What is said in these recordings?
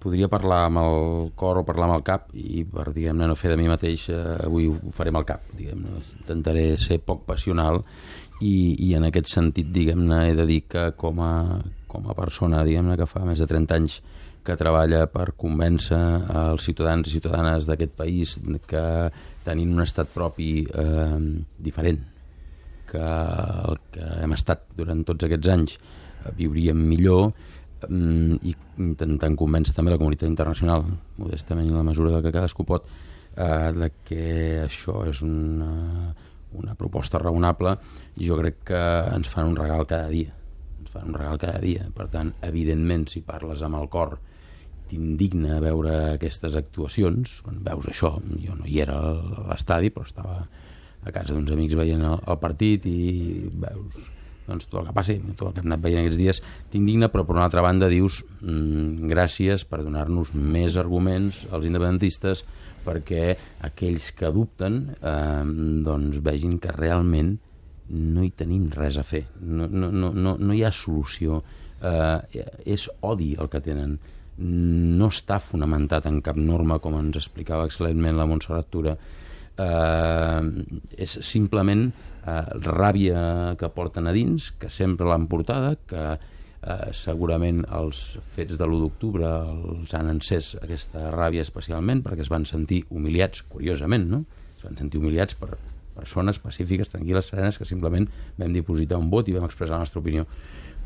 podria parlar amb el cor o parlar amb el cap, i per, diguem-ne, no fer de mi mateix, avui ho faré amb el cap, diguem-ne. Intentaré ser poc passional i en aquest sentit, diguem-ne, he de dir que com a persona, diguem-ne, que fa més de 30 anys que treballa per convèncer els ciutadans i ciutadanes d'aquest país que tenint un estat propi diferent que el que hem estat durant tots aquests anys viuríem millor, i intentant convèncer també la comunitat internacional, modestament i en la mesura del que cadascú pot, de que això és una proposta raonable. Jo crec que ens fan un regal cada dia. Per tant, evidentment, si parles amb el cor, t'indigna veure aquestes actuacions. Quan veus això, jo no hi era a l'estadi, però estava a casa d'uns amics veient el partit, i veus doncs tot el que passi, tot el que hem anat veient aquests dies, t'indigna, però per una altra banda dius gràcies per donar-nos més arguments als independentistes perquè aquells que dubten doncs vegin que realment no hi tenim res a fer, no hi ha solució, és odi el que tenen, no està fonamentat en cap norma, com ens explicava excel·lentment la Montserrat Tura, és simplement ràbia que porten a dins, que sempre l'han portada, que segurament els fets de l'1 d'octubre els han encès aquesta ràbia especialment perquè es van sentir humiliats, curiosament, no? Es van sentir humiliats per persones pacífiques, tranquil·les, serenes, que simplement vam dipositar un vot i vam expressar la nostra opinió.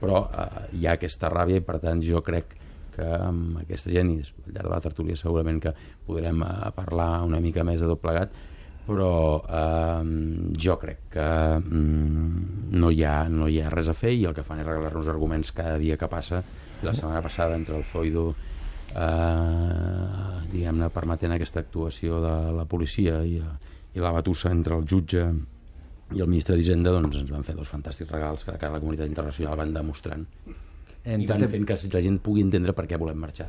Però hi ha aquesta ràbia, i per tant jo crec que amb aquesta gent, i al llarg de la tertúlia segurament que podrem parlar una mica més de tot plegat, però jo crec que no hi ha res a fer, i el que fan és regalar-nos arguments cada dia que passa. I la setmana passada, entre el foido diguem-ne permetent aquesta actuació de la policia i la batussa entre el jutge i el ministre d'Hisenda, doncs ens van fer dos fantàstics regals que de cara a la comunitat internacional van demostrant i van fent que la gent pugui entendre per què volem marxar